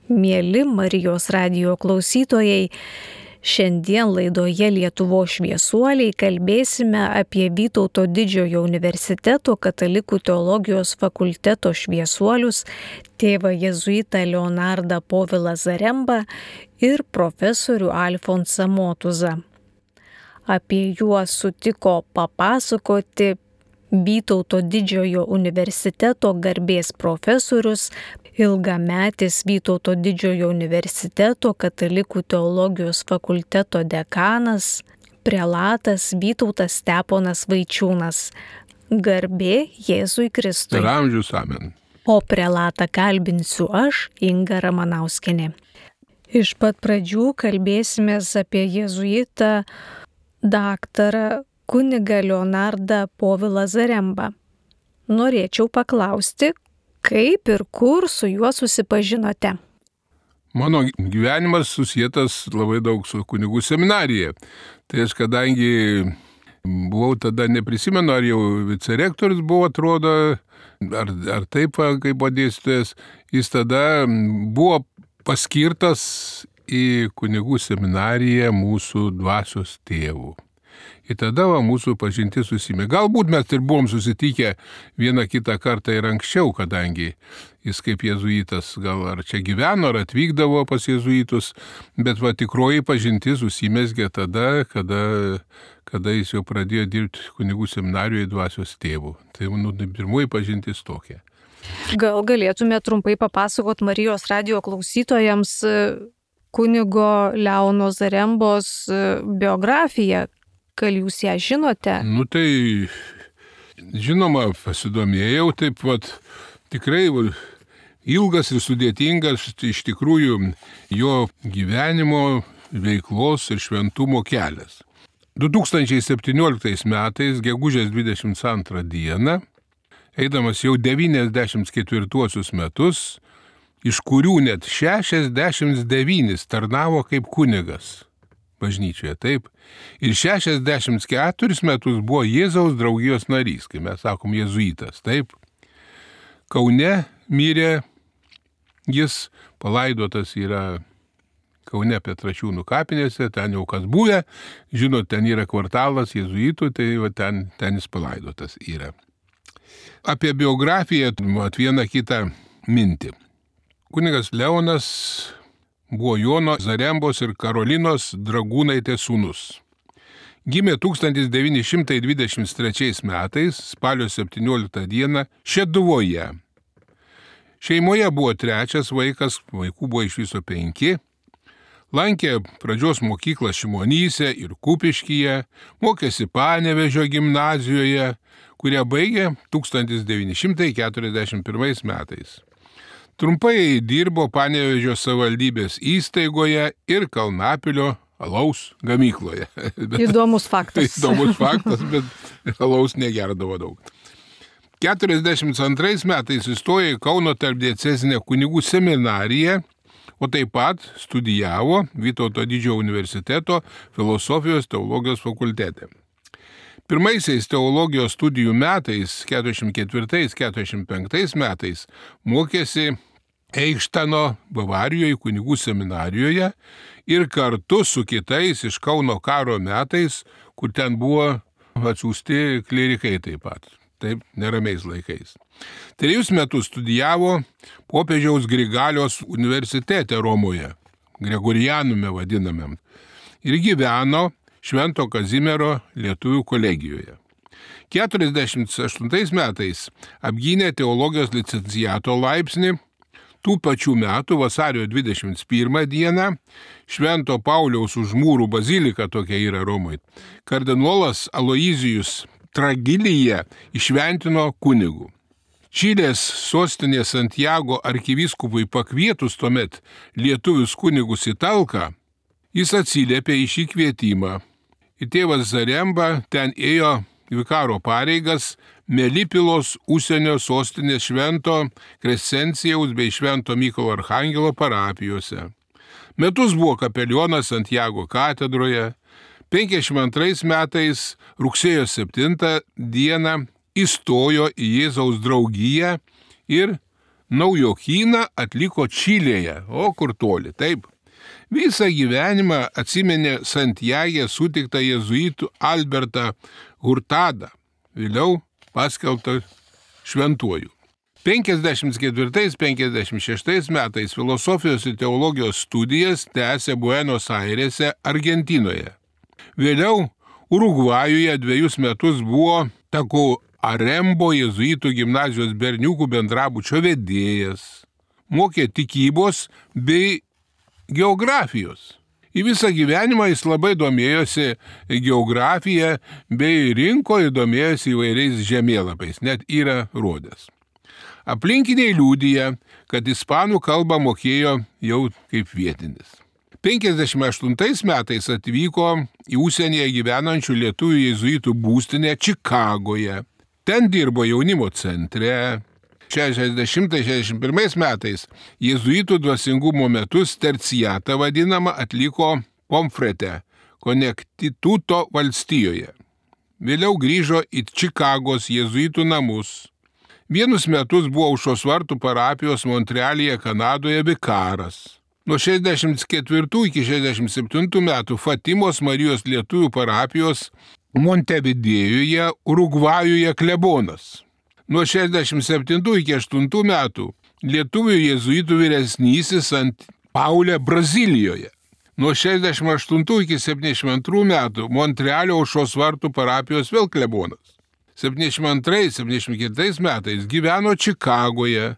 Mieli Marijos radijo klausytojai, šiandien laidoje Lietuvos šviesuoliai kalbėsime apie Vytauto Didžiojo universiteto katalikų teologijos fakulteto šviesuolius, tėvą jėzuitą Leonardą Povilą Zarembą ir profesorių Alfonsą Motuzą. Apie juos sutiko papasakoti Vytauto Didžiojo universiteto garbės profesorius, ilgametis Vytauto Didžiojo universiteto katalikų teologijos fakulteto dekanas, prelatas Vytautas Steponas Vaičiūnas. Garbė Jėzui Kristui. Per amžius amen. O prelatą kalbinsiu aš, Inga Ramanauskienė. Iš pat pradžių kalbėsimės apie jėzuitą daktarą kunigą Leonardą Povilą Zarembą. Norėčiau paklausti, kaip ir kur su juo susipažinote? Mano gyvenimas susietas labai daug su kunigų seminarija. Tai aš kadangi buvau tada, neprisimenu, ar jau vicerektorius buvo, atrodo, ar taip, kaip buvo dėstytojas, jis tada buvo paskirtas į kunigų seminariją mūsų dvasios tėvų. Ir tada mūsų pažintis susimė. Galbūt mes ir buvom susitikę vieną kitą kartą ir anksčiau, kadangi jis kaip jėzuitas gal ar čia gyveno, ar atvykdavo pas jėzuitus, bet tikroji pažintis susimėsgė tada, kada jis jau pradėjo dirbti kunigų seminarijoje dvasios tėvų. Tai pirmoji pažintis tokia. Gal galėtume trumpai papasakot Marijos radijo klausytojams kunigo Leono Zarembos biografiją? Gal jūs ją žinote? Tai žinoma, pasidomėjau, tikrai ilgas ir sudėtingas iš tikrųjų jo gyvenimo, veiklos ir šventumo kelias. 2017 metais, gegužės 22 dieną, eidamas jau 94 metus, iš kurių net 69 tarnavo kaip kunigas bažnyčioje, taip. Ir 64 metus buvo Jėzaus draugijos narys, kai mes sakom jėzuitas, taip. Kaune mirė, jis palaidotas yra Kaune Petrašiūnų kapinėse, ten jau kas buvę, žinot, ten yra kvartalas jėzuitų, tai ten jis palaidotas yra. Apie biografiją vieną kitą mintį. Kunigas Leonas buvo Jono Zarembos ir Karolinos Dragūnaitės sūnus. Gimė 1923 metais, spalio 17 dieną, Šeduvoje. Šeimoje buvo trečias vaikas, vaikų buvo iš viso 5. Lankė pradžios mokyklą Šimonyse ir Kupiškyje, mokėsi Panevėžio gimnazijoje, kurią baigė 1941 metais. Trumpai dirbo Panevėžio savivaldybės įstaigoje ir Kalnapilio alaus gamykloje. Įdomus faktas. Įdomus faktas, bet alaus negerdavo daug. 42 metais įstojo į Kauno tarpdiecezinę kunigų seminariją, o taip pat studijavo Vytauto Didžiojo universiteto filosofijos teologijos fakultete. Pirmaisiais teologijos studijų metais, 44-45 metais, mokėsi Eichtano Bavarijoje kunigų seminarijoje ir kartu su kitais iš Kauno karo metais, kur ten buvo atsiųsti klerikai taip pat, taip neramiais laikais. 3 metus studijavo popiežiaus Grigalios universitete Romoje, Gregorianume vadinamam, ir gyveno Švento Kazimiero lietuvių kolegijoje. 48 metais apgynė teologijos licenciato laipsnį. Tų pačių metų vasario 21 dieną Švento Pauliaus Užmūrų bazilika, tokia yra Romoje, kardinolas Aloizijus Tragilija išventino kunigų. Čilės sostinės Santiago arkivyskupui pakvietus tuomet lietuvius kunigus į talką, jis atsiliepė į šį kvietimą. Ir tėvas Zaremba ten ėjo vikaro pareigas Melipilos užsienio sostinės Švento Krescencijaus bei Švento Mykolo Archangelo parapijose. Metus buvo kapelionas Santiago katedroje. 52 metais rugsėjo 7 dieną įstojo į Jėzaus draugiją ir naujokyną atliko Čilėje, o kur toli, taip. Visą gyvenimą atsiminė Santiagė sutiktą jėzuitų Albertą Hurtadą, vėliau paskelbtą šventuoju. 54-56 metais filosofijos ir teologijos studijas tęsė Buenos Airėse, Argentinoje. Vėliau Urugvajuje 2 metus buvo Tacuarembó jėzuitų gimnazijos berniukų bendrabučio vedėjas. Mokė tikybos bei geografijos. Į visą gyvenimą jis labai domėjosi geografija bei rinko ir domėjosi įvairiais žemėlapiais, net yra rodęs. Aplinkiniai liudija, kad ispanų kalbą mokėjo jau kaip vietinis. 58 metais atvyko į užsienyje gyvenančių lietuvių jėzuitų būstinę Čikagoje. Ten dirbo jaunimo centre. 60-61 metais jėzuitų dvasingumo metus terciatą vadinamą atliko Pomfrete, Konektituto valstijoje. Vėliau grįžo į Čikagos jėzuitų namus. Vienus metus buvo Aušros vartų parapijos Montrealyje, Kanadoje vikaras. Nuo 64 iki 67 metų Fatimos Marijos lietuvių parapijos Montevidėjuje, Urugvajuje klebonas. Nuo 67 iki 8 metų lietuvių jėzuitų vyresnysis Ant Paulė Brazilijoje. Nuo 68 iki 72 metų Montrealio Aušros vartų parapijos vėl klebonas. 72-74 metais gyveno Čikagoje,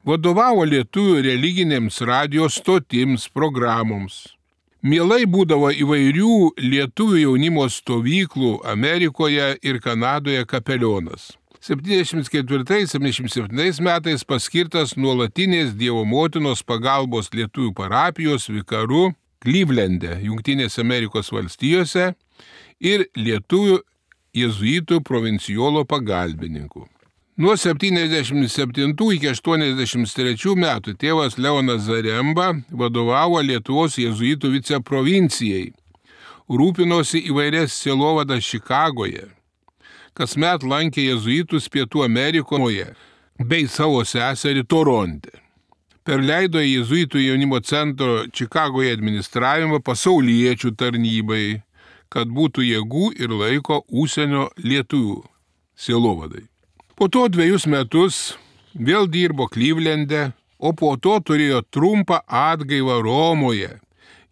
vadovavo lietuvių religinėms radijos stotims, programoms. Mielai būdavo įvairių lietuvių jaunimo stovyklų Amerikoje ir Kanadoje kapelionas. 74-77 metais paskirtas nuolatinės Dievo motinos pagalbos lietuvių parapijos vikaru Clevelande, Jungtinėse Amerikos valstijose ir lietuvių jėzuitų provincijolo pagalbininku. Nuo 77 iki 83 metų tėvas Leonas Zaremba vadovavo Lietuvos jėzuitų viceprovincijai, rūpinosi įvairias sielovadas Čikagoje, kasmet lankė jėzuitus Pietų Amerikoje bei savo seserį Toronte. Perleido jėzuitų jaunimo centro Čikagoje administravimą pasauliečių tarnybai, kad būtų jėgų ir laiko užsienio lietuvių sielovadai. Po to 2 metus vėl dirbo Clevelande, o po to turėjo trumpą atgaivą Romoje,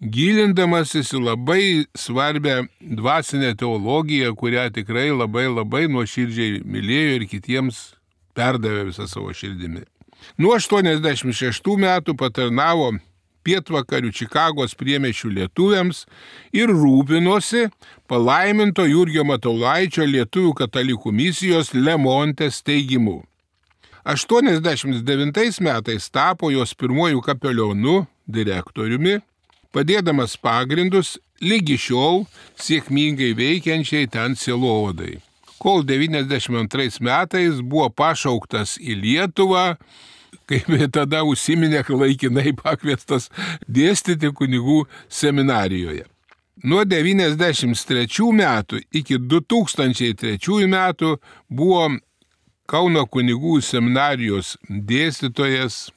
gilindamasis į labai svarbią dvasinę teologiją, kurią tikrai labai nuoširdžiai mylėjo ir kitiems perdavė visą savo širdimi. Nuo 86 metų patarnavo pietvakarių Čikagos priemiesčių lietuviams ir rūpinosi palaiminto Jurgio Matulaičio lietuvių katalikų misijos Lemonte steigimu. 89 metais tapo jos pirmojų kapelionu, direktoriumi, padėdamas pagrindus lygi šiol sėkmingai veikiančiai ten sielovadai. Kol 92 metais buvo pašauktas į Lietuvą, kaip tada užsiminė laikinai pakviestas dėstyti kunigų seminarijoje. Nuo 93 metų iki 2003 metų buvo Kauno kunigų seminarijos dėstytojas,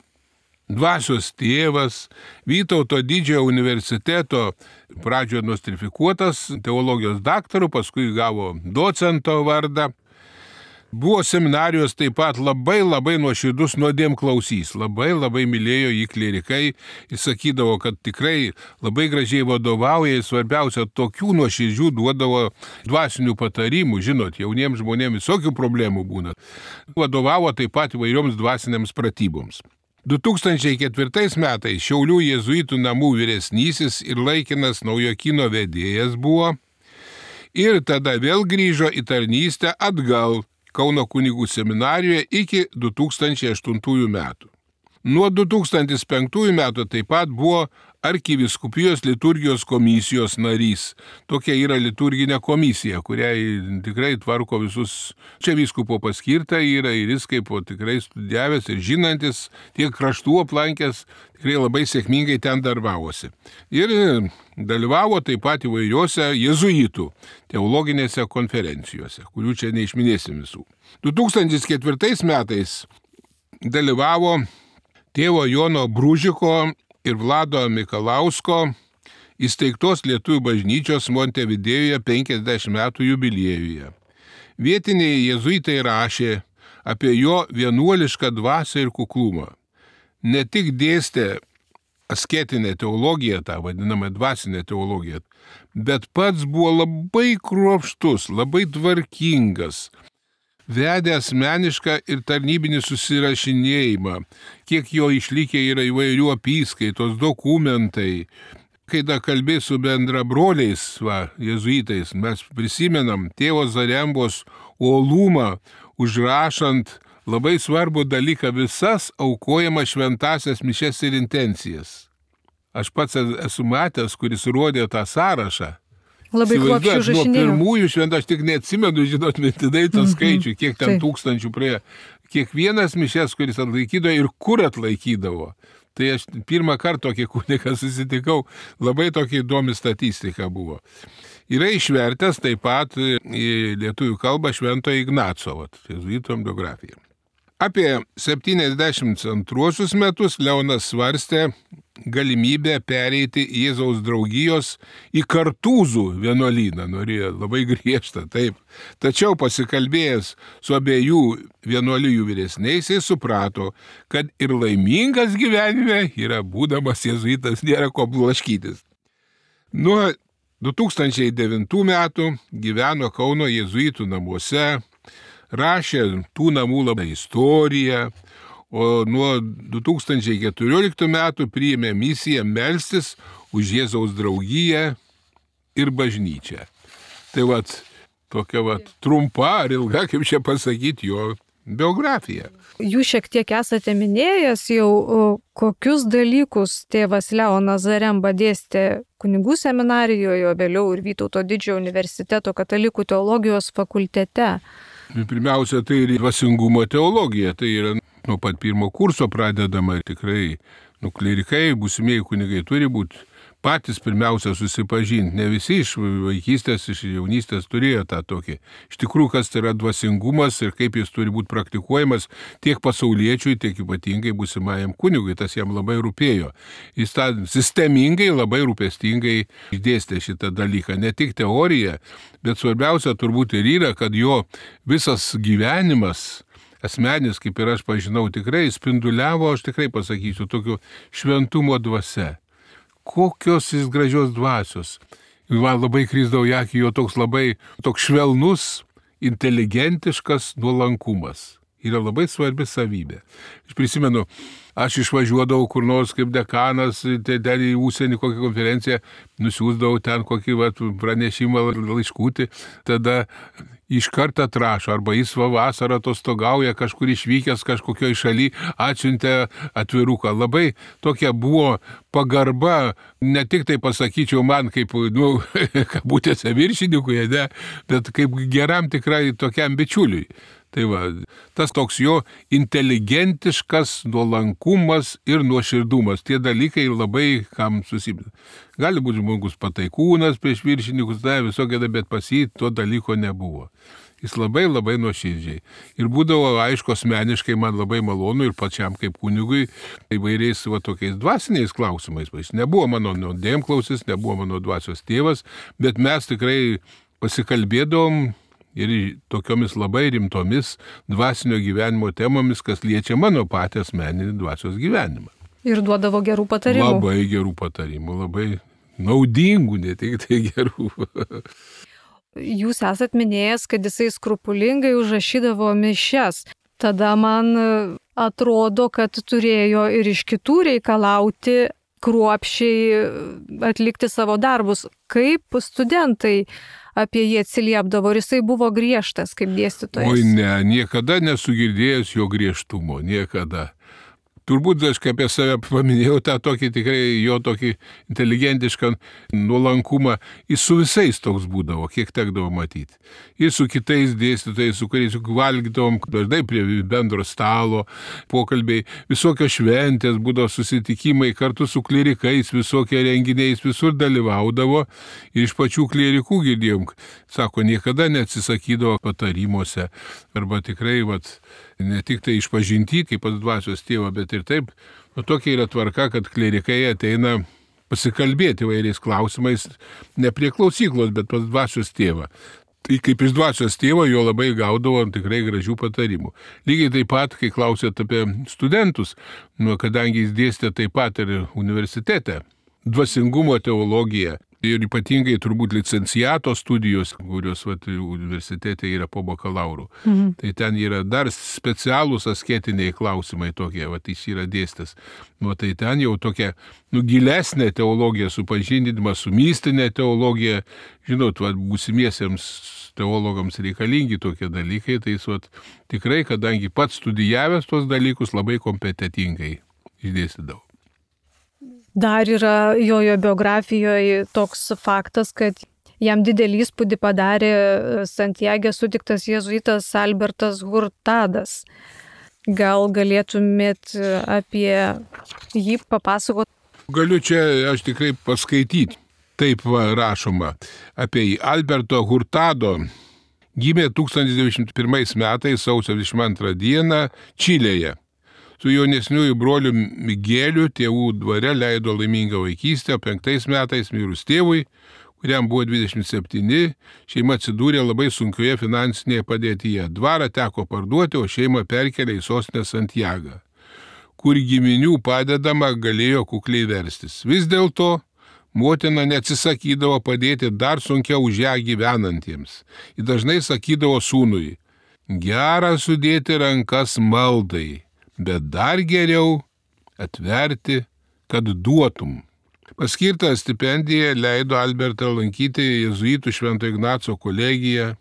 dvasios tėvas, Vytauto didžiojo universiteto pradžioje nostrifikuotas teologijos daktaru, paskui gavo docento vardą. Buvo seminarijos taip pat labai nuoširdus nuodėmklausys, labai mylėjo jį klierikai ir sakydavo, kad tikrai labai gražiai vadovauja ir svarbiausia, tokių nuoširdžių duodavo dvasinių patarimų, žinot, jauniems žmonėms visokių problemų būna. Vadovavo taip pat įvairioms dvasinėms pratyboms. 2004 metais Šiaulių jėzuitų namų vyresnysis ir laikinas Naujokyno vedėjas buvo ir tada vėl grįžo į tarnystę atgal Kauno kunigų seminarijoje iki 2008 metų. Nuo 2005 metų taip pat buvo arkivyskupijos liturgijos komisijos narys. Tokia yra liturginė komisija, kuriai tikrai tvarko visus. Čia vyskupo paskirta yra ir jis kaip tikrai studijavęs ir žinantis, tiek kraštų aplankęs, tikrai labai sėkmingai ten darbavosi. Ir dalyvavo taip pat įvairiuose jėzuitų teologinėse konferencijose, kurių čia neišminėsim visų. 2004 metais dalyvavo tėvo Jono Bružiko ir Vlado Mikalausko įsteigtos Lietuvių bažnyčios Montevidėjuje 50 metų jubiliejuje. Vietiniai jėzuitai rašė apie jo vienuolišką dvasią ir kuklumą. Ne tik dėstė asketinę teologiją, tą vadinamą dvasinę teologiją, bet pats buvo labai kruopštus, labai tvarkingas, vedė asmenišką ir tarnybinį susirašinėjimą, kiek jo išlikę yra įvairių apyskaitos, dokumentai. Kai da kalbė su bendrabroliais, jėzuitais, mes prisimenam tėvo Zarembos uolumą, užrašant labai svarbų dalyką visas aukojamas šventasias mišes ir intencijas. Aš pats esu matęs, kuris rodė tą sąrašą. Labai kruopščiai užrašinėjo. Nuo pirmųjų šventų, aš tik neatsimenu, žinot, mintinai tą skaičių, kiek ten tūkstančių praėjo. Kiekvienas mišes, kuris atlaikydavo ir kur atlaikydavo. Tai aš pirmą kartą tokį kunigą susitikau, labai tokia įdomi statistika buvo. Yra išvertęs taip pat į lietuvių kalbą Švento Ignaco, jėzuitų biografija. Apie 72 metus Leonas svarstė galimybę pereiti Jėzaus draugijos į Kartūzų vienuolyną, norėjo labai griežtą, taip. Tačiau pasikalbėjęs su abiejų vienuolijų vyresniaisiais suprato, kad ir laimingas gyvenime yra būdamas jėzuitas, nėra ko blaškytis. Nuo 2009 metų gyveno Kauno jėzuitų namuose, rašė tų namų labai istoriją, o nuo 2014 metų priėmė misiją melstis už Jėzaus draugiją ir bažnyčią. Tai tokia trumpa ar ilga, kaip čia pasakyti, jo biografija. Jūs šiek tiek esate minėjęs jau, kokius dalykus tėvas Leonas Zaremba dėstė kunigų seminarijoje, o vėliau ir Vytauto Didžiojo universiteto katalikų teologijos fakultete. Pirmiausia, tai ir dvasingumo teologija, tai yra nuo pat pirmo kurso pradedama tikrai, klierikai, būsimieji kunigai turi būti patys pirmiausia susipažinti. Ne visi iš vaikystės, iš jaunystės turėjo tą tokį. Iš tikrųjų, kas tai yra dvasingumas ir kaip jis turi būti praktikuojamas tiek pasauliečiui, tiek ypatingai būsimajam kunigui. Tas jam labai rūpėjo. Jis tą sistemingai, labai rūpestingai išdėstė šitą dalyką. Ne tik teorija, bet svarbiausia turbūt ir yra, kad jo visas gyvenimas asmenis, kaip ir aš pažinau, tikrai spinduliavo, aš tikrai pasakysiu, tokio šventumo dvasia. Kokios jis gražios dvasios. Man labai krisdavo į akį jo toks švelnus, inteligentiškas nuolankumas. Yra labai svarbi savybė. Aš prisimenu, aš išvažiuodavau kur nors kaip dekanas, ten į užsienį kokią konferenciją, nusiųsdavau ten kokį pranešimą laiškutį, tada iš karto atrašo, arba jis vasarą atostogauja, kažkur išvykęs kažkokioj šaly, atsiuntė atviruką. Labai tokia buvo pagarba, ne tik tai pasakyčiau man kaip, kabutėse viršininkui, bet kaip geram tikrai tokiam bičiuliui. Tai tas toks jo inteligentiškas nuolankumas ir nuoširdumas. Tie dalykai labai kam susibėda. Gali būti žmogus pataikūnas prieš viršininkus, visokia, bet pas jį to dalyko nebuvo. Jis labai nuoširdžiai. Ir būdavo, aišku, asmeniškai man labai malonu ir pačiam kaip kunigui įvairiais tokiais dvasiniais klausimais. Jis nebuvo mano nuodėmklausis, nebuvo mano dvasios tėvas, bet mes tikrai pasikalbėdavom ir tokiomis labai rimtomis dvasinio gyvenimo temomis, kas liečia mano patį asmeninį dvasios gyvenimą. Ir duodavo gerų patarimų. Labai gerų patarimų, labai naudingų, ne tik tai gerų. Jūs esat minėjęs, kad jisai skrupulingai užrašydavo mišias. Tada man atrodo, kad turėjo ir iš kitų reikalauti kruopščiai atlikti savo darbus. Kaip studentai apie jį atsiliepdavo, ir jisai buvo griežtas kaip dėstytojas? Oi ne, niekada nesu girdėjęs jo griežtumo, niekada. Turbūt aš kaip apie save paminėjau tą tokį tikrai jo tokį inteligentišką nuolankumą. Jis su visais toks būdavo, kiek tekdavo matyti. Ir su kitais dėstytojais, su kuriais valgydavom dažnai prie bendro stalo, pokalbiai, visokios šventės, būdavo susitikimai kartu su klierikais, visokie renginiais, visur dalyvaudavo. Ir iš pačių klierikų girdėjom, sako, niekada neatsisakydavo patarimuose. Arba tikrai, ne tik tai išpažinti, kaip pas dvasios tėvą, bet ir taip, O tokia yra tvarka, kad klerikai ateina pasikalbėti vairiais klausimais, ne prie klausyklos, bet pas dvasios tėvą. Tai kaip iš dvasios tėvo jo labai gaudavo tikrai gražių patarimų. Lygiai taip pat, kai klausėt apie studentus, kadangi jis dėstė taip pat ir universitete, dvasingumo teologiją ir ypatingai turbūt licenciato studijos, kurios universitete yra po bakalauro. Tai ten yra dar specialūs asketiniai klausimai tokie, jis yra dėstęs. Tai ten jau tokia gilesnė teologija, supažindinimas su mistinė teologija, žinot, būsimiesiems teologams reikalingi tokie dalykai, tai tikrai, kadangi pats studijavęs tos dalykus, labai kompetentingai išdėstydavo. Dar yra jojo biografijoje toks faktas, kad jam didelį įspūdį padarė Santiage sutiktas jėzuitas Albertas Hurtadas. Gal galėtumėt apie jį papasakoti? Galiu čia aš tikrai paskaityti. Taip rašoma apie jį. Alberto Hurtado gimė 1901 metais sausio 22 dieną Čilėje. Su jaunesniųjų broliu Migeliu tėvų dvare leido laimingą vaikystę, o 5 metais mirus tėvui, kuriam buvo 27, šeima atsidūrė labai sunkioje finansinėje padėtyje. Dvarą teko parduoti, o šeimą perkelė į sostinę Santiagą, kur giminių padedama galėjo kukliai verstis. Vis dėlto motina neatsisakydavo padėti dar sunkiau už ją gyvenantiems. Ji dažnai sakydavo sūnui: gera sudėti rankas maldai, bet dar geriau atverti, kad duotum. Paskirtą stipendiją leido Albertą lankyti jėzuitų Švento Ignaco kolegiją.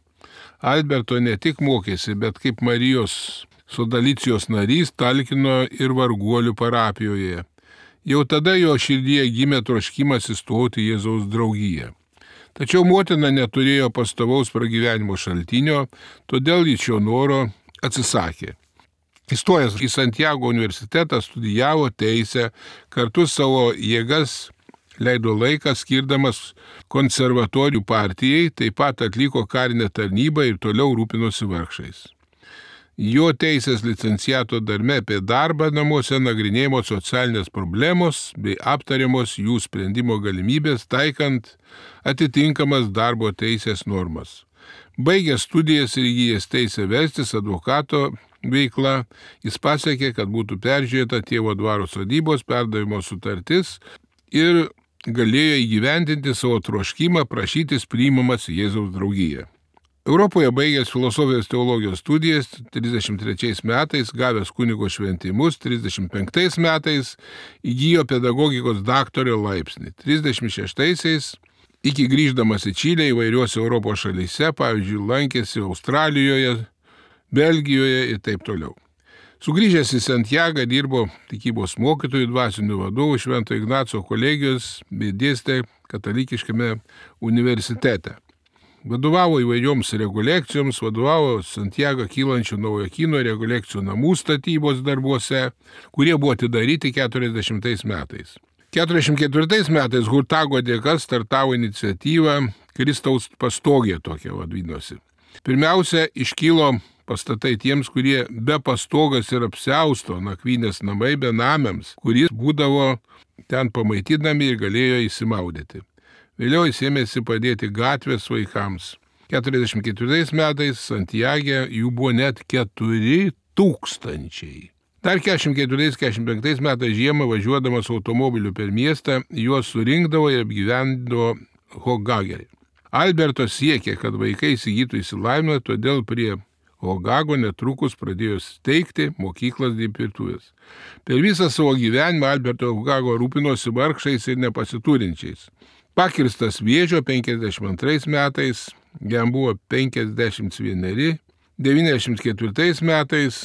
Alberto ne tik mokėsi, bet kaip Marijos Sodalicijos narys talkino ir varguolių parapijoje. Jau tada jo širdyje gimė troškimas įstoti į Jėzaus draugiją. Tačiau motina neturėjo pastovaus pragyvenimo šaltinio, todėl jis šio noro atsisakė. Įstojęs į Santiago universitetą studijavo teisę, kartu savo jėgas leido laiką skirdamas konservatorių partijai, taip pat atliko karinę tarnybą ir toliau rūpinosi vargšais. Jo teisės licenciato darbe apie darbą namuose nagrinėjamos socialinės problemos bei aptariamos jų sprendimo galimybės, taikant atitinkamas darbo teisės normas. Baigęs studijas ir įgijęs teisę vestis advokato veikla, jis pasiekė, kad būtų peržiūrėta tėvo dvaro sodybos perdavimo sutartis ir galėjo įgyvendinti savo troškimą prašytis priimamas į Jėzaus draugiją. Europoje baigęs filosofijos teologijos studijas 33 metais, gavęs kunigo šventimus, 35 metais įgijo pedagogikos daktaro laipsnį. 36 iki grįždamas į Čilę įvairiuose Europos šalyse, pavyzdžiui, lankėsi Australijoje, Belgijoje ir taip toliau. Sugrįžęs į Santiagą dirbo tikybos mokytojų, dvasinių vadovų Švento Ignaco kolegijos bei dėstė katalikiškame universitete. Vadovavo įvairioms rekolekcijoms, vadovavo Santiagą kylančių naujokyno rekolekcijų namų statybos darbuose, kurie buvo atidaryti 40 metais. 44 metais Hurtago dėka startavo iniciatyva Kristaus pastogė tokia vadinosi. Pirmiausia, iškilo pastatai tiems, kurie be pastogas ir apsiausto, nakvynės namai benamiams, kuris būdavo ten pamaitinami ir galėjo įsimaudyti. Vėliau jis ėmėsi padėti gatvės vaikams. 44 metais Santiage jų buvo net 4000. Dar 44-45 metais žiemą važiuodamas automobiliu per miestą, juos surinkdavo ir apgyvendavo Hogagerį. Alberto siekė, kad vaikai įsigytų išsilavinimą, todėl prie Hogago netrukus pradėjo steigti mokyklas dirbtuvės. Per visą savo gyvenimą Alberto Hogago rūpinosi vargšais ir nepasiturinčiais. Pakirstas vėžio 52 metais, jam buvo 51, 94 metais,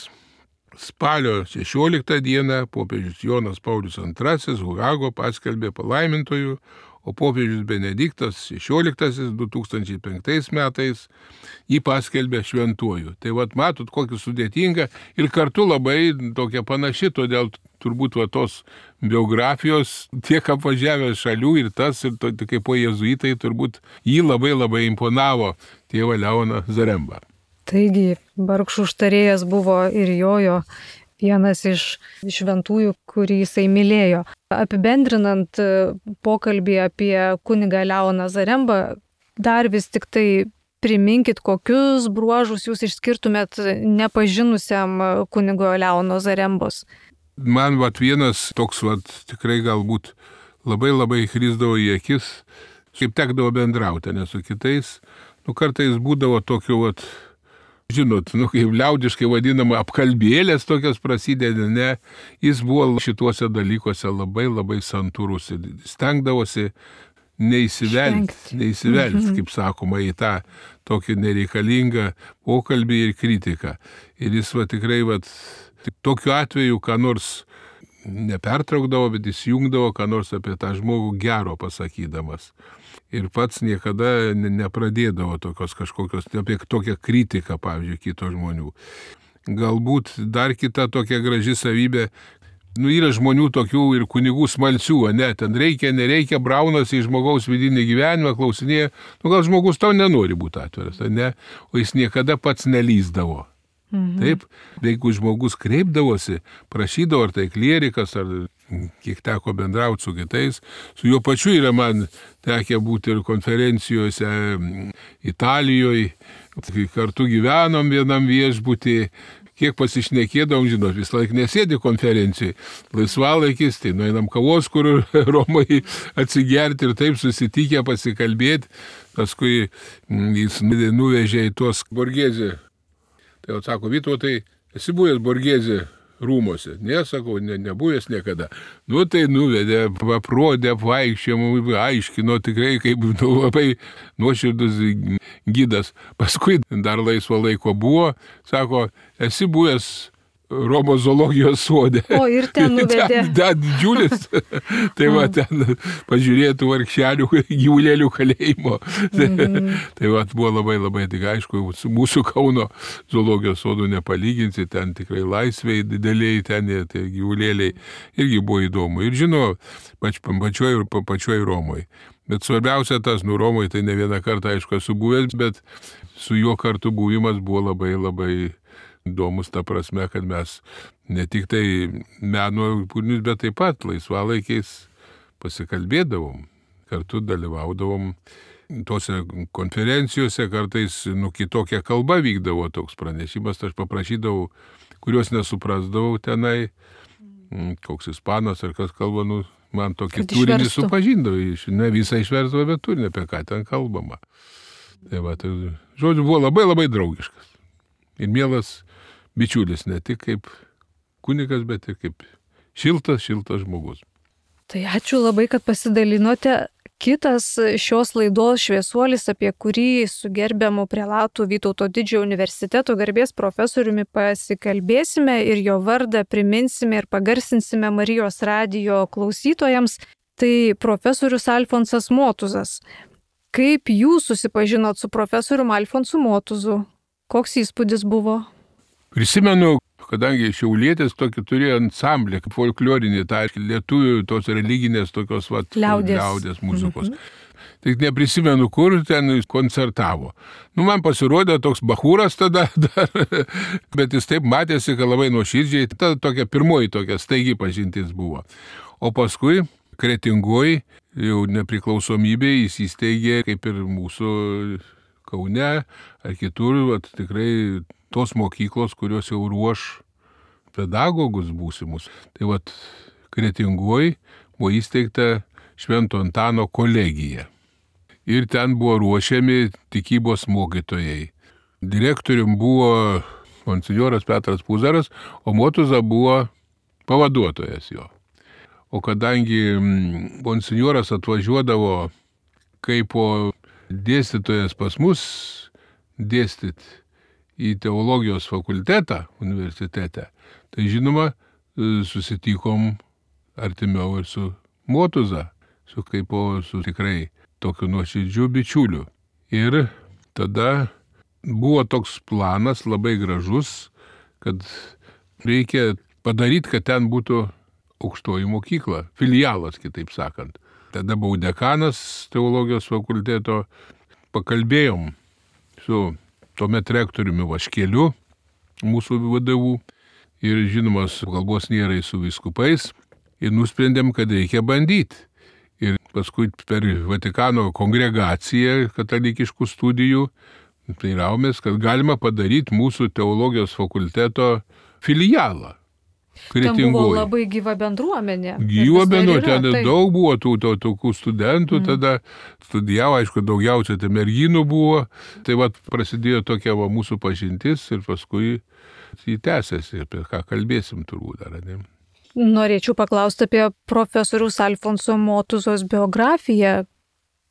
spalio 16 dieną popiežius Jonas Paulius II Hogago paskelbė palaimintojų, o popiežius Benediktas XVI 2005 metais jį paskelbė šventuoju. Tai matot, kokia sudėtinga ir kartu labai tokia panaši, todėl turbūt tos biografijos tiek apvažiavę šalių ir tas, ir kaip po jėzuitai turbūt jį labai imponavo tėvą Leoną Zarembą. Taigi, vargšų užtarėjas buvo ir jojo vienas iš šventųjų, kurį jisai mylėjo. Apibendrinant pokalbį apie kunigą Leoną Zarembą, dar vis tik tai priminkit, kokius bruožus jūs išskirtumėt nepažinusiam kunigo Leono Zarembos. Man vienas toks tikrai galbūt labai krisdavo į akis, kaip tekdavo bendrauti, nes su kitais, kartais būdavo tokių, žinot, kaip liaudiškai vadinama, apkalbėlės tokios prasideda, ne, jis buvo šituose dalykuose labai santūrus ir stengdavosi neįsivelti, kaip sakoma, į tą tokį nereikalingą pokalbį ir kritiką. Ir jis tikrai tokiu atveju, ką nors nepertraukdavo, bet jis jungdavo, ką nors apie tą žmogų gero pasakydamas. Ir pats niekada nepradėdavo tokios kažkokios, apie tokią kritiką, pavyzdžiui, kito žmonių. Galbūt dar kita tokia graži savybė, yra žmonių tokių ir kunigų smalsių, ne, ten reikia, nereikia, braunasi į žmogaus vidinį gyvenimą, klausinėja, gal žmogus tau nenori būti atviras, ne, o jis niekada pats nelįsdavo. Taip, jeigu žmogus kreipdavosi, prašydavo, ar tai klierikas, ar kiek teko bendrauti su kitais, su juo pačiu yra man tekę būti ir konferencijose Italijoje, kartu gyvenom vienam viešbutį, kiek pasišnekėdavom, žinot, vis laik nesėdi konferencijai, laisvalaikis, tai nueinam kavos, kur Romai atsigerti ir taip susitikę pasikalbėti, paskui jis nuvežė į tuos Borgėzį. Tai sako, Vytautai, esi buvęs Borgėzį rūmose? Ne, sakau, nebuvęs niekada. Tai nuvedė, aprodė, apvaikščiojimą, aiškino tikrai kaip labai nuoširdus gidas. Paskui dar laisvo laiko buvo, sako, esi buvęs Romos zoologijos sode. O ir ten nuvedė. Ten didžiulis. Tai ten pažiūrėtų vargšelių gyvulėlių kalėjimo. Tai buvo labai, tik aišku, mūsų Kauno zoologijos sodų nepalyginsi, ten tikrai laisvėjai dideliai, ten tie gyvulėliai irgi buvo įdomu. Ir žinau, pačioj Romoje. Bet svarbiausia tas, Romoje tai ne vieną kartą, aišku, esu buvęs, bet su juo kartu buvimas buvo labai įdomus ta prasme, kad mes ne tik tai meno kūrinius, bet taip pat laisvalaikiais pasikalbėdavom, kartu dalyvaudavom tose konferencijose, kartais kitokia kalba vykdavo toks pranešimas, aš paprašydavau, kuriuos nesuprasdavau tenai, koks ispanas ar kas kalba, man tokį turinį supažindavo, ne visą išversdavo, bet turinį, apie ką ten kalbama. Tai žodžiu, buvo labai draugiškas ir mielas bičiulis, ne tik kaip kunigas, bet ir kaip šiltas žmogus. Tai ačiū labai, kad pasidalinote. Kitas šios laidos šviesuolis, apie kurį su gerbiamu prelatu Vytauto Didžiojo universiteto garbės profesoriumi pasikalbėsime ir jo vardą priminsime ir pagarsinsime Marijos radijo klausytojams, tai profesorius Alfonsas Motuzas. Kaip jūs susipažinot su profesoriumi Alfonsu Motuzu? Koks įspūdis buvo? Prisimenu, kadangi šiaulietis tokį turėjo ansamblį, folklorinį, tai lietuvių tos religinės tokios liaudės muzikos. Tik neprisimenu, kur ten koncertavo. Man pasirodė toks bachūras tada dar, bet jis taip matėsi, kad labai nuoširdžiai, ta tokia pirmoji tokia staigi pažintis buvo. O paskui Kretingoj, jau nepriklausomybėje, jis įsteigė, kaip ir mūsų Kaune ar kitur, tikrai tos mokyklos, kurios jau ruoš pedagogus būsimus. Tai Kretingoj buvo įsteigta Švento Antano kolegija. Ir ten buvo ruošiami tikybos mokytojai. Direktorium buvo monsinjoras Petras Puzaras, o Motuza buvo pavaduotojas jo. O kadangi monsinjoras atvažiuodavo kaip dėstytojas pas mus dėstyti į teologijos fakultetą universitete, tai žinoma, susitikom artimiau ir su Motuza, su tikrai tokiu nuoširdžiu bičiuliu. Ir tada buvo toks planas labai gražus, kad reikia padaryti, kad ten būtų aukštoji mokykla, filialas, kitaip sakant. Tada buvau dekanas teologijos fakulteto, pakalbėjom su tuomet rektoriumi Vaškeliu, mūsų vadovų, ir žinomas kalbos nėra su vyskupais ir nusprendėm, kad reikia bandyti. Ir paskui per Vatikano kongregaciją katalikiškų studijų tai raumės, kad galima padaryti mūsų teologijos fakulteto filialą. Ten buvo labai gyva bendruomenė. Gyva bendruomenė, ten daug buvo tokių studentų, tada studijavo, aišku, daugiausia tai merginų buvo. Tai prasidėjo tokia mūsų pažintis ir paskui jį tęsiasi, apie ką kalbėsim turbūt dar, ne? Norėčiau paklausti apie profesoriaus Alfonso Motuzos biografiją.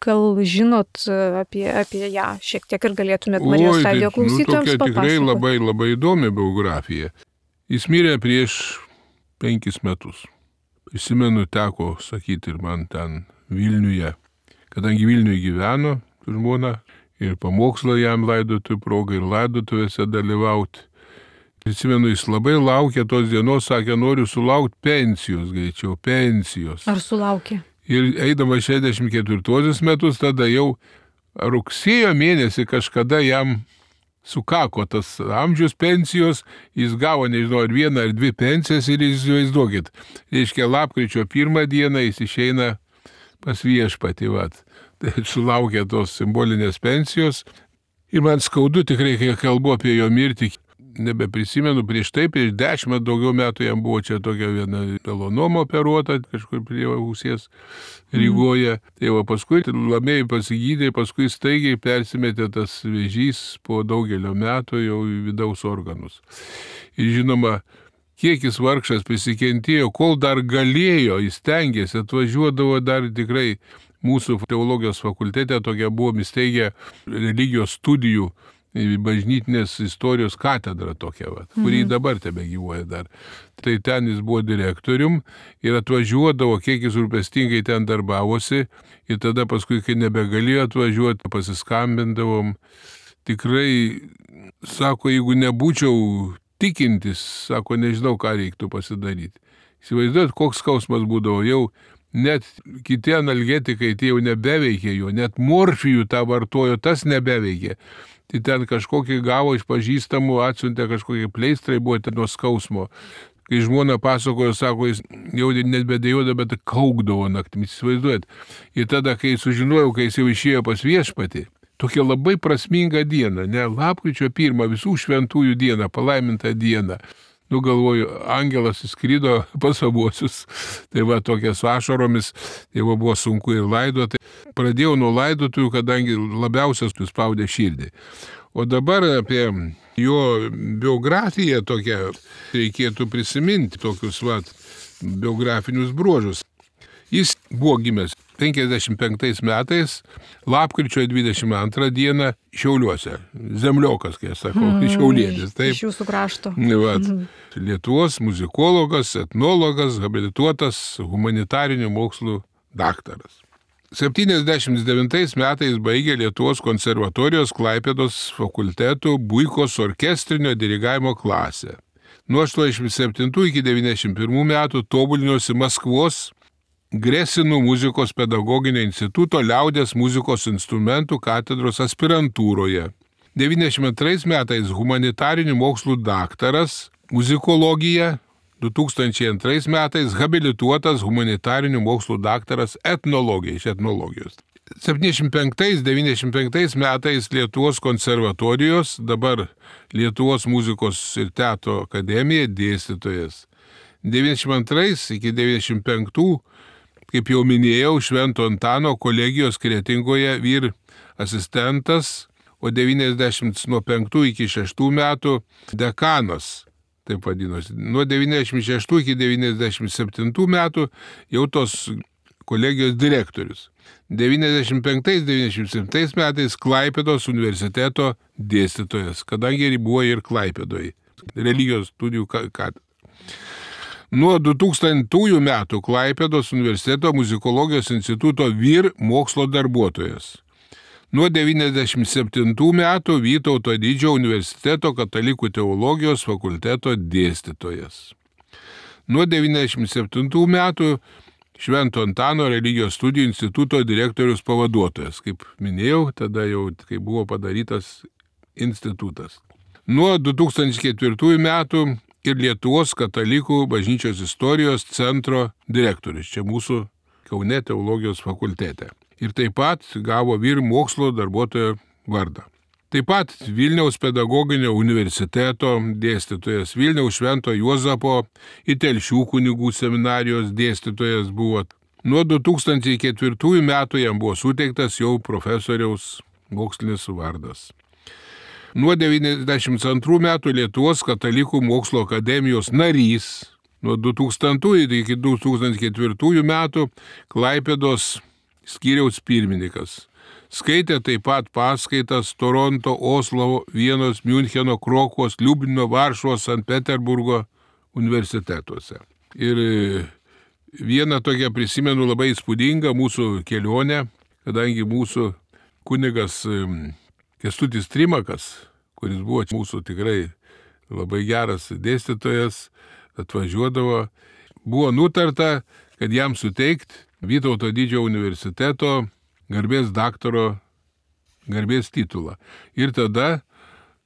Gal žinot apie ją šiek tiek ir galėtumėt Marijos radijo klausytojams papasakoti? Tikrai labai, labai įdomi biografija. Jis mirė prieš 5 metus. Prisimenu, teko sakyti ir man ten Vilniuje, kadangi Vilniuje gyveno žmona ir pamokslą jam laidotuvių proga ir laidotuvėse dalyvauti. Prisimenu, jis labai laukė tos dienos, sakė, noriu sulaukti pensijos, greičiau pensijos. Ar sulaukė? Ir eidama 64 metus, tada jau rugsėjo mėnesį kažkada jam sukako tas amžius pensijos, jis gavo, nežinau, ar 1 ar 2 pensijas ir įsivaizduokit. Reiškia, lapkričio 1 dieną jis išeina pas viešpatį. Tai sulaukė tos simbolinės pensijos. Ir man skaudu tikrai, kai kalbu apie jo mirtį, nebeprisimenu, prieš 10 daugiau metų jam buvo čia tokia viena melanoma operuota, kažkur prie ausies Rygoje. Tai paskui labai pasigydė, paskui staigiai persimetė tas vėžys po daugelio metų jau į vidaus organus. Ir žinoma, kiek jis vargšas prisikentėjo, kol dar galėjo, jis stengiasi, atvažiuodavo dar tikrai mūsų teologijos fakultete, tokia buvo įsteigę religijos studijų bažnytinės istorijos katedra tokia, kurį dabar tebegyvuoja dar. Tai ten jis buvo direktorium ir atvažiuodavo, kiek jis rūpestingai ten darbavosi ir tada paskui, kai nebegalėjo atvažiuoti, pasiskambindavom. Tikrai, sako, jeigu nebūčiau tikintis, sako, nežinau, ką reiktų pasidaryti. Įsivaizduojat, koks skausmas būdavo, jau net kiti analgetikai tai jau nebeveikė jo, net morfijų tą vartojo, tas nebeveikė. Tai ten kažkokį gavo iš pažįstamų, atsiuntė kažkokie pleistrai, buvo ten nuo skausmo. Kai žmona pasakojo, sako, jis jau nebedėjoda, bet kaukdavo naktimis, įsivaizduojat. Ir tada, kai sužinojau, kai jis jau išėjo pas viešpatį, tokia labai prasminga diena, ne, lapkričio 1, visų šventųjų diena, palaiminta diena. Galvoju, angelas įskrido pas savuosius, tai tokia su ašaromis, tai buvo sunku ir laidoti. Pradėjau nuo laidotųjų, kadangi labiausias suspaudė širdį. O dabar apie jo biografiją tokią reikėtų prisiminti, tokius biografinius bruožus. Jis buvo gimęs 55 metais, lapkričio 22 dieną Šiauliuose. Zemliokas, kai sakau, šiaulietis. Taip. Iš jūsų krašto. Lietuvos muzikologas, etnologas, habilituotas humanitarinių mokslų daktaras. 79 metais baigė Lietuvos konservatorijos Klaipėdos fakulteto Buikos orkestrinio dirigavimo klasę. Nuo 87 iki 91 metų tobulinosi Maskvos Gresinų muzikos pedagoginio instituto liaudės muzikos instrumentų katedros aspirantūroje. 92 metais humanitarinių mokslų daktaras, muzikologija, 2002 metais habilituotas humanitarinių mokslų daktaras etnologija iš etnologijos. 75-95 metais Lietuvos konservatorijos, dabar Lietuvos muzikos ir teatro akademija dėstytojas. 92 iki 95, kaip jau minėjau, Švento Antano kolegijos Kretingoje vyr asistentas, o 95 iki 6 metų dekanas, taip vadinosi. Nuo 96 iki 97 metų jau tos kolegijos direktorius. 95-97 metais Klaipėdos universiteto dėstytojas, kadangi buvo ir Klaipėdoje, religijos studijų katedra. Nuo 2000 metų Klaipėdos universiteto muzikologijos instituto vyr mokslo darbuotojas. Nuo 97 metų Vytauto Didžiojo universiteto katalikų teologijos fakulteto dėstytojas. Nuo 97 metų Švento Antano religijos studijų instituto direktorius pavaduotojas, kaip minėjau, tada jau kai buvo padarytas institutas. Nuo 2004 metų ir Lietuvos katalikų bažnyčios istorijos centro direktorius, čia mūsų Kaune teologijos fakultete. Ir taip pat gavo vyr mokslo darbuotojo vardą. Taip pat Vilniaus pedagoginio universiteto dėstytojas, Vilniaus Švento Juozapo ir Telšių kunigų seminarijos dėstytojas buvo. Nuo 2004 metų jam buvo suteiktas jau profesoriaus mokslinis vardas. Nuo 1992 metų Lietuvos katalikų mokslo akademijos narys, nuo 2000 iki 2004 metų Klaipėdos skyriaus pirmininkas. Skaitė taip pat paskaitas Toronto, Oslo, Vienos, Miuncheno, Krokuvos, Liublino, Varšuvos, Sankt Peterburgo universitetuose. Ir vieną tokią prisimenu labai įspūdingą mūsų kelionę, kadangi mūsų kunigas Kęstutis Trimakas, kuris buvo mūsų tikrai labai geras dėstytojas, atvažiuodavo, buvo nutarta, kad jam suteikti Vytauto didžiojo universiteto garbės daktaro garbės titulą. Ir tada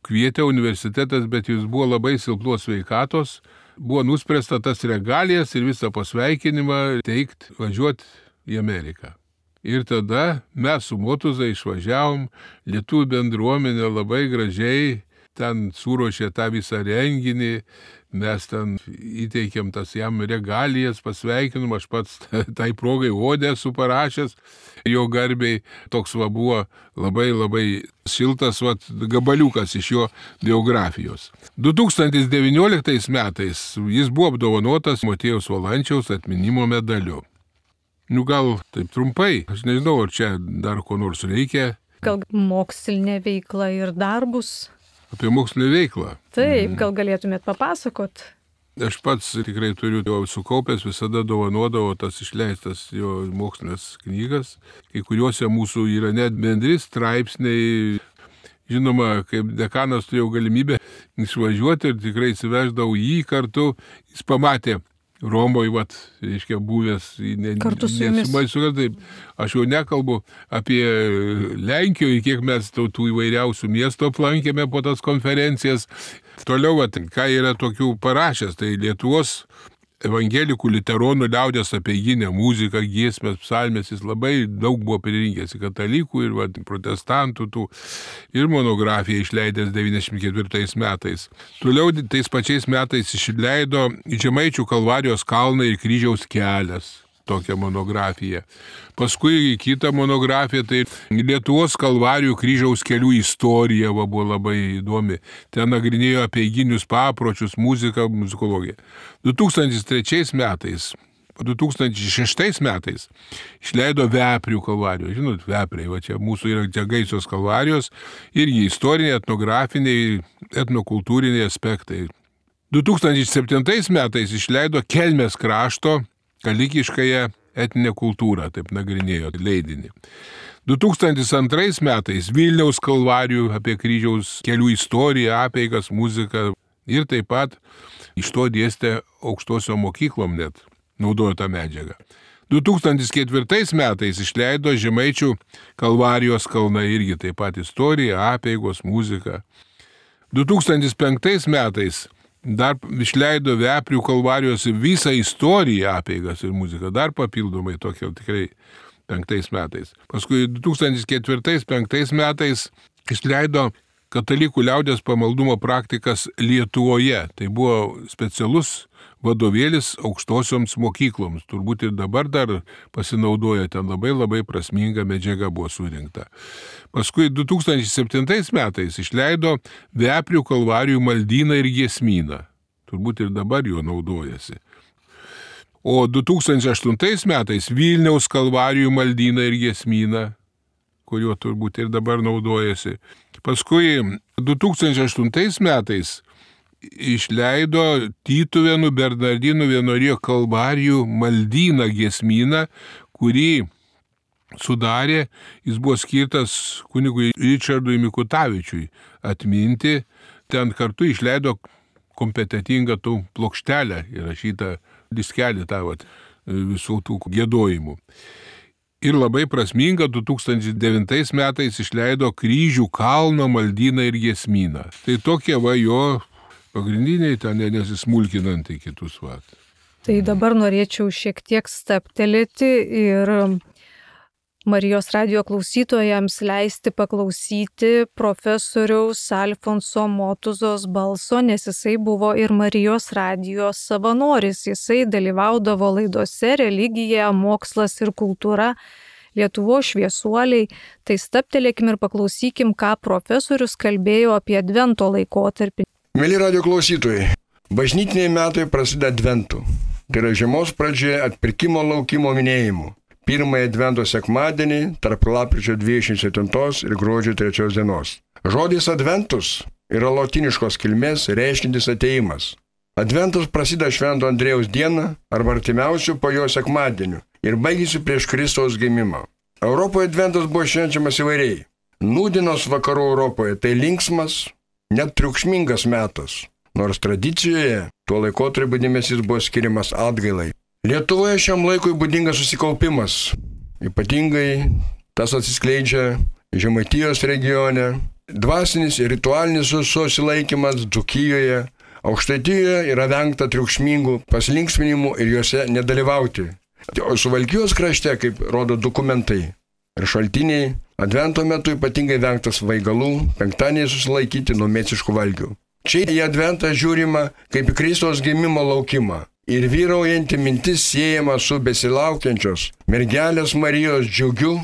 kvietė universitetas, bet jis buvo labai silpnos sveikatos, buvo nuspręsta tas regalijas ir visą pasveikinimą teikti, važiuoti į Ameriką. Ir tada mes su Motuza išvažiavom, lietuvių bendruomenė labai gražiai ten suruošė tą visą renginį, mes ten įteikėm tas jam regalijas, pasveikinom, aš pats tai progai odę esu parašęs, jo garbiai toks buvo labai šiltas gabaliukas iš jo biografijos. 2019 metais jis buvo apdovanotas Motiejaus Valančiaus atminimo medaliu. Gal taip trumpai, aš nežinau, ar čia dar ko nors reikia. Gal mokslinė veikla ir darbus? Apie mokslinę veiklą. Taip, gal galėtumėt papasakot? Aš pats tikrai turiu jo sukaupęs, visada dovanodavo tas išleistas jo mokslinės knygas. Kai kuriuose mūsų yra net bendri straipsniai. Žinoma, kaip dekanas turėjau galimybę išvažiuoti ir tikrai įsiveždavau jį kartu. Jis pamatė Romoje, reiškia, buvęs, kartu su jumis. Taip, aš jau nekalbu apie Lenkijoje, kiek mes tų įvairiausių miestų aplankėme po tas konferencijas. Toliau, ką yra tokių parašęs, tai Lietuvos evangelikų liuteronų liaudės apeiginę muziką, giesmės, psalmės, jis labai daug buvo pririnkęs į katalikų ir protestantų tų, ir monografiją išleidęs 94 metais. Toliau tais pačiais metais išleido Žemaičių Kalvarijos kalną ir kryžiaus kelias. Tokią monografiją. Paskui kita monografija, tai Lietuvos Kalvarijų kryžiaus kelių istorija buvo labai įdomi. Ten nagrinėjo apeiginius papročius, muziką, muzikologiją. 2003 metais, 2006 metais išleido Veprių Kalvarijos. Žinot, Vepriai, čia mūsų yra Džegaisios Kalvarijos, irgi istoriniai, etnografiniai, etnokultūriniai aspektai. 2007 metais išleido Kelmės krašto kalikiškąją etninę kultūrą, taip nagrinėjo leidinį. 2002 metais Vilniaus Kalvarijų apie kryžiaus kelių istoriją, apeigas, muziką ir taip pat iš to dėstė aukštosiom mokyklom net, naudojo tą medžiagą. 2004 metais išleido Žemaičių Kalvarijos kalnai, irgi taip pat istorija, apeigos, muzika. 2005 metais dar išleido Veprių Kalvarijos visą istoriją, apeigas ir muziką, dar papildomai tokia tikrai 5 metais. Paskui 2004-2005 metais išleido Katalikų liaudės pamaldumo praktikas Lietuvoje. Tai buvo specialus vadovėlis aukštosioms mokykloms. Turbūt ir dabar dar pasinaudoja, ten labai prasminga medžiaga buvo surinkta. Paskui 2007 metais išleido Veprių Kalvarijų maldyną ir giesmyną. Turbūt ir dabar juo naudojasi. O 2008 metais Vilniaus Kalvarijų maldyną ir giesmyną, kuriuo turbūt ir dabar naudojasi. Paskui 2008 metais išleido Tytuvėnų Bernardinų vienuolijos Kalvarijų maldyną giesmyną, kurį sudarė, jis buvo skirtas kunigui Ričardui Mikutavičiui atminti. Ten kartu išleido kompetitingą tų plokštelę įrašytą diskelį tą visų tų giedojimų. Ir labai prasminga 2009 metais išleido Kryžių kalno maldyną ir giesmyną. Tai tokie jo pagrindiniai, ten nesismulkinant į kitus vat. Tai dabar norėčiau šiek tiek staptelėti ir Marijos radijo klausytojams leisti paklausyti profesoriaus Alfonso Motuzos balso, nes jisai buvo ir Marijos radijos savanoris. Jisai dalyvaudavo laidose Religija, mokslas ir kultūra, Lietuvos šviesuoliai. Tai staptelėkim ir paklausykim, ką profesorius kalbėjo apie Advento laikotarpį. Mėly radijo klausytojai, bažnytiniai metai prasideda Adventu. Tai yra žiemos pradžioje atpirkimo laukimo minėjimu. Pirmąjį Advento sekmadienį tarp lapkričio 27 ir gruodžio 3 dienos. Žodis Adventus yra lotiniškos kilmės reiškintis atėjimas. Adventas prasideda Švento Andriejaus dieną arba artimiausių po jo sekmadienių ir baigėsi prieš Kristaus gimimą. Europoje Adventas buvo švenčiamas įvairiai. Nūdienos vakarų Europoje tai linksmas, net triukšmingas metas, nors tradicijoje tuo laikotarpiu dėmesys buvo skiriamas atgailai. Lietuvoje šiam laikui būdingas susikaupimas. Ypatingai tas atsiskleidžia Žemaitijos regione. Dvasinis ir ritualinis susilaikymas Dzūkijoje. Aukštaitijoje yra vengta triukšmingų pasilinksminimų ir juose nedalyvauti. O Suvalkijos krašte, kaip rodo dokumentai ir šaltiniai, Advento metu ypatingai vengtas svaigalų, penktadienį susilaikyti nuo mėsiškų valgių. Čia į Adventą žiūrima kaip į Kristaus gimimo laukimą. Ir vyraujanti mintis siejama su besilaukiančios mergelės Marijos džiugiu,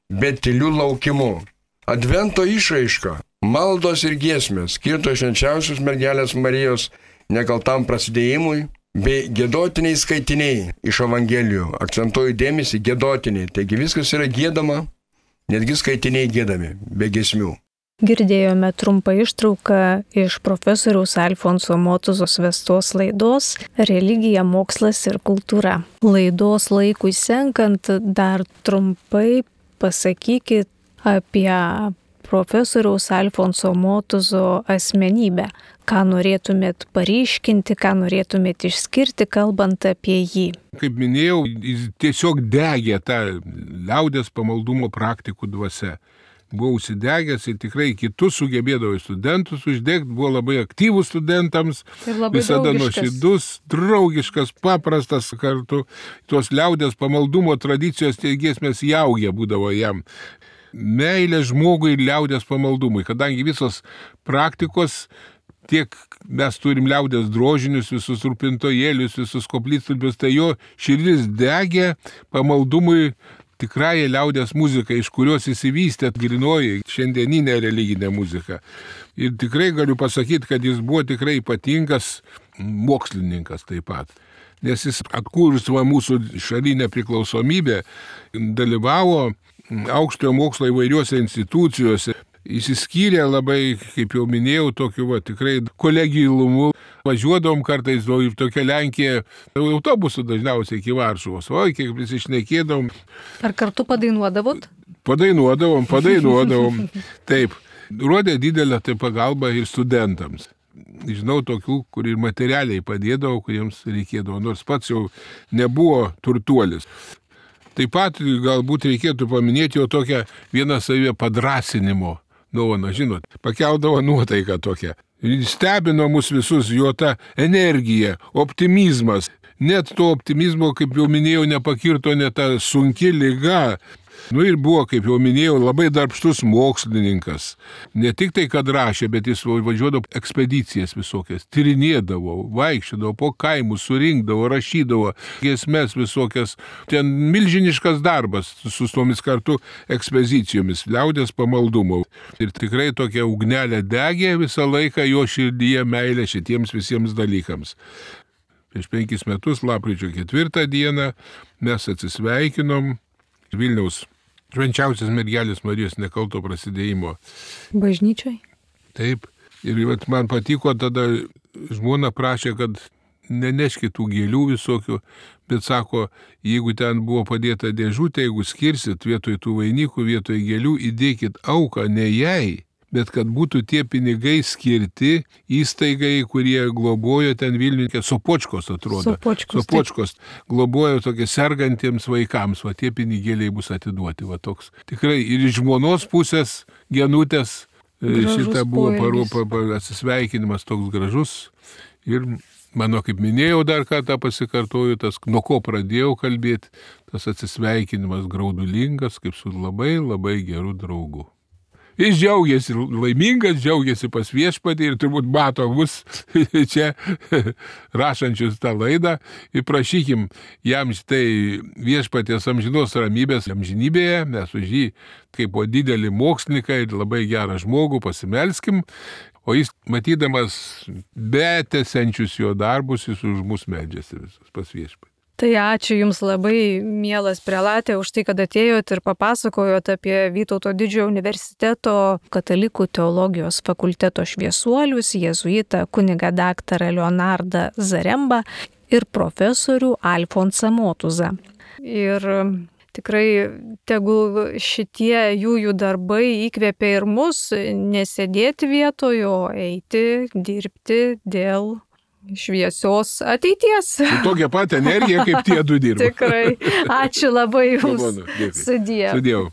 bet tyliu laukimu. Advento išraiška, maldos ir giesmės skirtos švenčiausios mergelės Marijos nekaltam prasidėjimui, bei giedotiniai skaitiniai iš Evangelijų. Akcentuoju dėmesį giedotiniai, taigi viskas yra giedama, netgi skaitiniai giedami, be giesmių. Girdėjome trumpą ištrauką iš profesoriaus Alfonso Motuzos vestos laidos Religija, mokslas ir kultūra. Laidos laikui senkant dar trumpai pasakykit apie profesoriaus Alfonso Motuzo asmenybę. Ką norėtumėt paryškinti, ką norėtumėt išskirti, kalbant apie jį? Kaip minėjau, jis tiesiog degė tą liaudies pamaldumo praktikų dvasia. Buvo užsidegęs ir tikrai kitus sugebėdavo studentus uždegti, buvo labai aktyvus studentams, visada nuoširdus, draugiškas, paprastas kartu. Tos liaudės pamaldumo tradicijos tie giesmės jaugė būdavo jam. Meilė žmogui ir liaudės pamaldumui, kadangi visos praktikos, tiek mes turim liaudės drožinius, visus rūpintojėlius, visus koplytstulpius, tai jo širdis degė pamaldumui tikrąją liaudės muziką, iš kurios įsivystė grynoji šiandieninė religinė muzika. Ir tikrai galiu pasakyti, kad jis buvo tikrai ypatingas mokslininkas taip pat. Nes jis atkūrus mūsų šalinę priklausomybę, dalyvavo aukštojo mokslo įvairiuose institucijose. Įsiskyrė labai, kaip jau minėjau, tokiu tikrai kolegilumu. Važiuodavom kartais į tokią Lenkiją, autobusų dažniausiai iki Varšuvos. O, kiek prisišnekėdavom. Ar kartu padainuodavot? Padainuodavom. Taip, rodė didelę tai pagalbą ir studentams. Žinau tokių, kur ir materialiai padėdavo, kuriems reikėdavo, nors pats jau nebuvo turtuolis. Taip pat galbūt reikėtų paminėti jo tokią vieną savę padrasinimo dovaną, žinot, pakeldavo nuotaiką tokią. Stebino mus visus jo ta energija, optimizmas. Net to optimizmo, kaip jau minėjau, nepakirto net ta sunki liga. Ir buvo, kaip jau minėjau, labai darbštus mokslininkas. Ne tik tai, kad rašė, bet jis važiuodavo ekspedicijas visokias, tyrinėdavo, vaikščiodavo po kaimus, surinkdavo, rašydavo giesmes visokias. Ten milžiniškas darbas su tomis kartu ekspedicijomis, liaudės pamaldumo. Ir tikrai tokia ugnelė degė visą laiką jo širdyje meilė šitiems visiems dalykams. Prieš 5 metus, lapkričio 4 dieną, mes atsisveikinom Vilniaus švenčiausios mergelės Marijos nekalto prasidėjimo bažnyčioj. Taip. Ir man patiko, tada žmona prašė, kad neneškit tų gėlių visokių, bet sako, jeigu ten buvo padėta dėžutė, jeigu skirsit vietoj tų vainikų, vietoj gėlių, įdėkit auką ne jai, bet kad būtų tie pinigai skirti įstaigai, kurie globojo ten Vilniuje, Sopočkos atrodo. Sopočkos globojo tokie sergantiems vaikams, tie pinigėliai bus atiduoti, toks. Tikrai ir iš žmonos pusės Genutės šitą buvo atsisveikinimas toks gražus. Ir mano, kaip minėjau, dar kartą pasikartoju, tas, nuo ko pradėjau kalbėti, tas atsisveikinimas graudulingas, kaip su labai labai geru draugu. Jis džiaugiasi, laimingas, džiaugiasi pas viešpatį ir turbūt mato mus čia rašančius tą laidą ir prašykim jam šitai viešpaties amžinos ramybės amžinybėje, mes už jį kaip po didelį mokslininką ir labai gerą žmogų pasimelskim, o jis matydamas betęsiančius jo darbus, jis už mus meldžiasi visus pas viešpatį. Tai ačiū Jums labai, mielas prelatė, už tai, kad atėjot ir papasakojot apie Vytauto Didžiojo universiteto katalikų teologijos fakulteto šviesuolius, jėzuitą kunigą daktarą Leonardą Zarembą ir profesorių Alfonsą Motuzą. Ir tikrai tegul šitie jų darbai įkvėpia ir mus nesėdėti vietoje, o eiti, dirbti dėl šviesios ateities. Su tokia pat energija, kaip tie du dirba. Tikrai. Ačiū labai Jums. Sudiev.